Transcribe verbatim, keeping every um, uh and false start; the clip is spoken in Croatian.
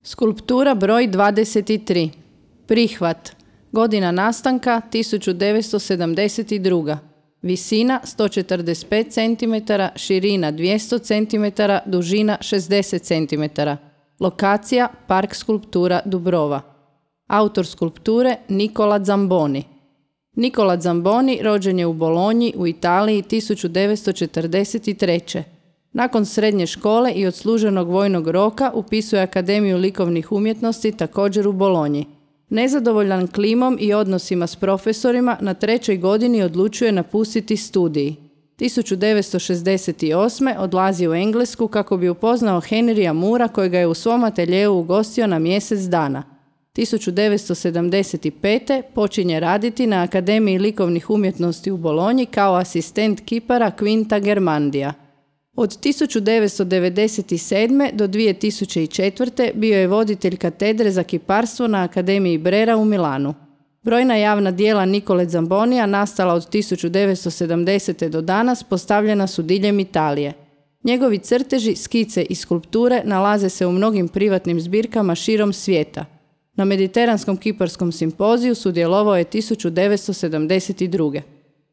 Skulptura broj dvadeset tri. Prihvat. Godina nastanka tisuću devetsto sedamdeset druga. Visina sto četrdeset pet centimetara, širina dvjesto centimetara, dužina šezdeset centimetara. Lokacija Park skulptura Dubrova. Autor skulpture Nicola Zamboni. Nicola Zamboni rođen je u Bolonji u Italiji tisuću devetsto četrdeset treće. Nakon srednje škole i odsluženog vojnog roka upisuje Akademiju likovnih umjetnosti također u Bolonji. Nezadovoljan klimom i odnosima s profesorima, na trećoj godini odlučuje napustiti studij. tisuću devetsto šezdeset osme. odlazi u Englesku kako bi upoznao Henrya Moora kojega je u svom ateljeu ugostio na mjesec dana. tisuću devetsto sedamdeset pete. počinje raditi na Akademiji likovnih umjetnosti u Bolonji kao asistent kipara Quinta Germandija. Od tisuću devetsto devedeset sedme. do dvije tisuće četvrte. bio je voditelj katedre za kiparstvo na Akademiji Brera u Milanu. Brojna javna djela Nicole Zambonija nastala od tisuću devetsto sedamdesete. do danas postavljena su diljem Italije. Njegovi crteži, skice i skulpture nalaze se u mnogim privatnim zbirkama širom svijeta. Na Mediteranskom kiparskom simpoziju sudjelovao je tisuću devetsto sedamdeset druge.